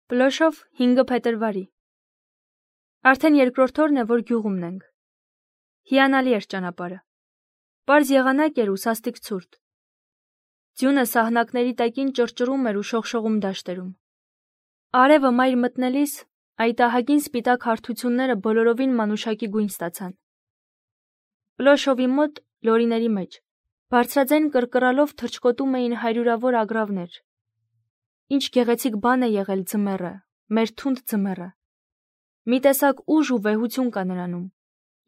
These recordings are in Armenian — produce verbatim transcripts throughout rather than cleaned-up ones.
Պլոշով հինգը փետրվարի։ Արդեն երկրորդ օրն է, որ գյուղումն ենք։ Հիանալի էր ճանապարհը։ Պարզ եղանակ էր ու սաստիկ ցուրտ։ Ձյունը սահնակների տակին ճռճռում էր ու շողշողում դաշտերում։ Արևը մայր մտնելիս այդ ահագին սպիտակ հարթությունները բոլորովին մանուշակի գույն ստացան։ Պլոշովի մոտ, լորիների մեջ, բարձրաձայն կռկռալով թռչկոտում էին հարյուրավոր ագռավներ։ Ինչ գեղեցիկ բան է եղել ձմեռը, մեր թունդ ձմեռը։ Մի տեսակ ուժ ու վեհություն կա նրանում,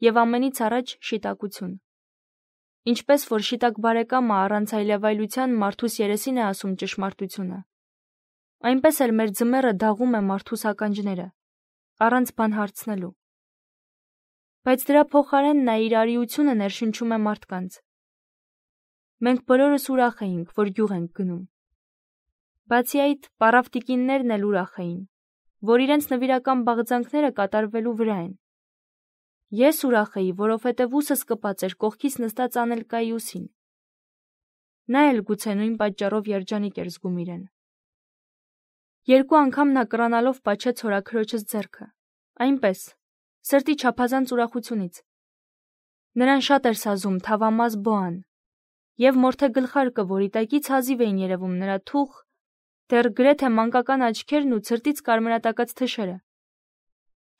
եւ ամենից առաջ շիտակություն։ Ինչպես որ շիտակ բարեկամը առանց այլևայլության մարդուս երեսին է ասում ճշմարտությունը, այնպես էլ մեր ձմեռը դաղում է մարդուս ականջները, առանց բան հարցնելու։ Բայց դրա փոխարեն նա իր արիությունը ներշնչում է մարդկանց։ Մենք բոլորս ուրախ էինք, որ գյուղ ենք գնում։ Բացի այդ, պառավ տիկիններն էլ ուրախ էին, որ իրենց նվիրական բաղձանքները կատարվելու վրա են։ Ես ուրախ էի, որովհետև ուսս կպած էր կողքից նստած Անելկայի ուսին։ Նա էլ գուցե նույն պատճառով երջանիկ էր զգում իրեն։ Երկու անգամ նա կռանալով պաչեց հորաքրոջս ձեռքը, այնպես, սրտի չափազանց ուրախությունից։ Նրան շատ էր սազում թավամաս Բոան, եւ մորթե գլխարկը, որի տակից հազիվ էին երևում նրա թուխ, դեռ գրեթե մանկական աչքերն ու ցրտից կարմրատակած թշերը։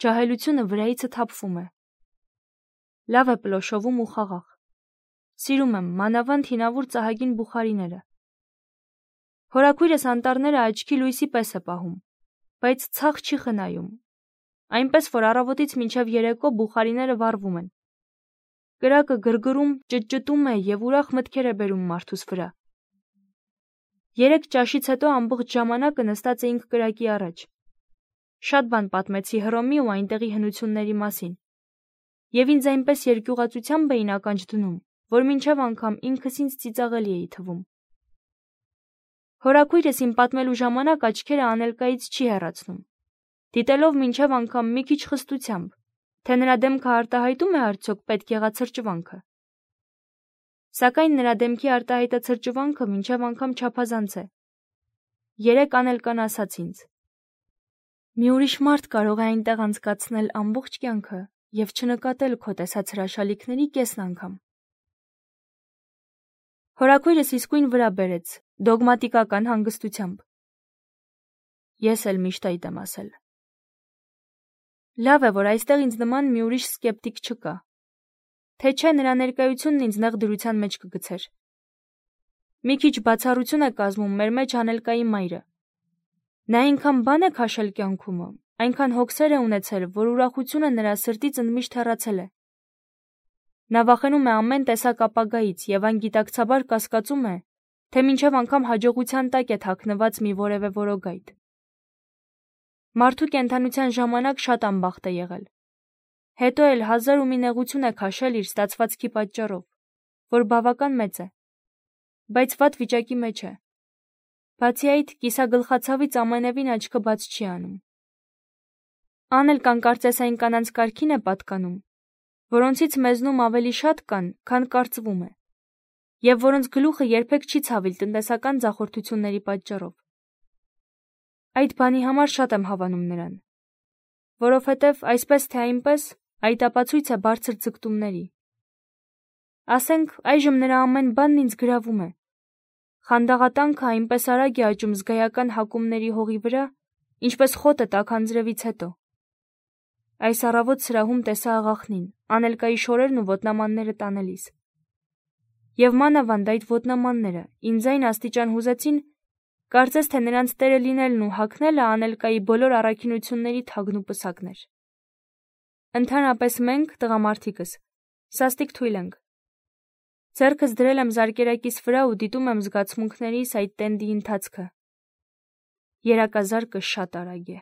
Ջահելությունը վրայիցը թափվում է։ Լավ է Պլոշովում ու խաղաղ։ Սիրում եմ մանավանդ հինավուր ծահագին բուխարիները։ Հորաքույրս անտառները աչքի լույսի պես է պահում, բայց ցախ չի խնայում, այնպես որ առավոտից մինչև երեկո բուխարիները վառվում են։ Կրակը գրգռում, ճտճտում է եւ ուրախ մտքեր է բերում մարդուս վրա։ Երեք ճաշից հետո ամբողջ ժամանակը նստած էինք կրակի առաջ։ Շատ բան պատմեցի Հռոմի ու այնտեղի հնությունների մասին, եւ ինձ այնպես երկյուղածությամբ էին ականջ դնում, որ մինչև անգամ ինքս ինձ ծիծաղելի էի թվում։ Հորաքույրս իմ պատմելու ժամանակ աչքերը Անելկայից չի հեռացնում, դիտելով մինչև անգամ մի քիչ խստությամբ, թե նրա դեմքը արտահայտում է արդյոք պետք եղած սրճվանքը։ Սակայն նրա դեմքի արտահայտած մինչև անգամ չափազանց է։ Երեք Անելկան ասաց ինձ. մի ուրիշ մարդ կարող է այնտեղ անցկացնել ամբողջ կյանքը եւ չնկատել քո տեսած հրաշալիքների կեսն անգամ։ Հորաքույրս իսկույն վրա բերեց, դոգմատիկական հանգստությամբ։ Ես էլ միշտ այդ եմ ասել։ Լավ է, որ այստեղ ինձ նման մի ուրիշ սկեպտիկ չկա, թե չէ նրա ներկայությունն ինձ նեղ դրության մեջ կգցեր։ Մի քիչ բացառություն է կազմում մեր մեջ Անելկայի մայրը։ Նա այնքան բան է քաշել կյանքումը, այնքան հոգսեր է ունեցել, որ ուրախությունը նրա սրտից ընդմիշտ հեռացել է։ Նա վախենում է ամեն տեսակ ապագայից եւ անգիտակցաբար կասկածում է, թե մինչև անգամ հաջողության տակ է թաքնված մի որևէ որոգայթ։ Մարդու կենդանության ժամանակ շատ անբախտ է եղել։ Հետո էլ հազար ու մի նեղություն է քաշել իր ստացվածքի պատճառով, որ բավական մեծ է, բայց վատ վիճակի մեջ է։ Բացի այդ, կիսագլխացավից ամենևին աչքը բաց չի անում։ Անելկան կարծես այն կանանց կարգին է պատկանում, որոնցից մեզնում ավելի շատ կան, քան կարծվում է, եւ որոնց գլուխը երբեք չի ցավիլ տնտեսական ձախորդությունների պատճառով։ Այդ բանի համար շատ եմ հավանում նրան, որովհետև այսպես թե այնպես այդ ապացույց է բարձր ձգտումների։ Ասենք, այժմ նրա ամեն բանն ինձ գրավում է։ Խանդաղատանքը այնպես արագ է աճում զգայական հակումների հողի վրա, ինչպես խոտը տաքանձրևից հետո։ Այս առավոտ սրահում տեսա աղախնին, Անելկայի շորերն ու ոտնամանները տանելիս։ Եվ մանավանդ այդ ոտնամանները ինձ այն աստիճան հուզեցին, կարծես թե նրանց տերը լինելն ու հագնելը Անելկայի բոլոր առաքինությունների թագն ու պսակն էր։ Ընդհանրապես մենք, տղամարդիկս, սաստիկ թույլ ենք։ Ձեռքս դրել եմ զարկերակիս վրա ու դիտում եմ զգացմունքներիս այդ տենդի ընթացքը։ Երակազարկը շատ արագ է։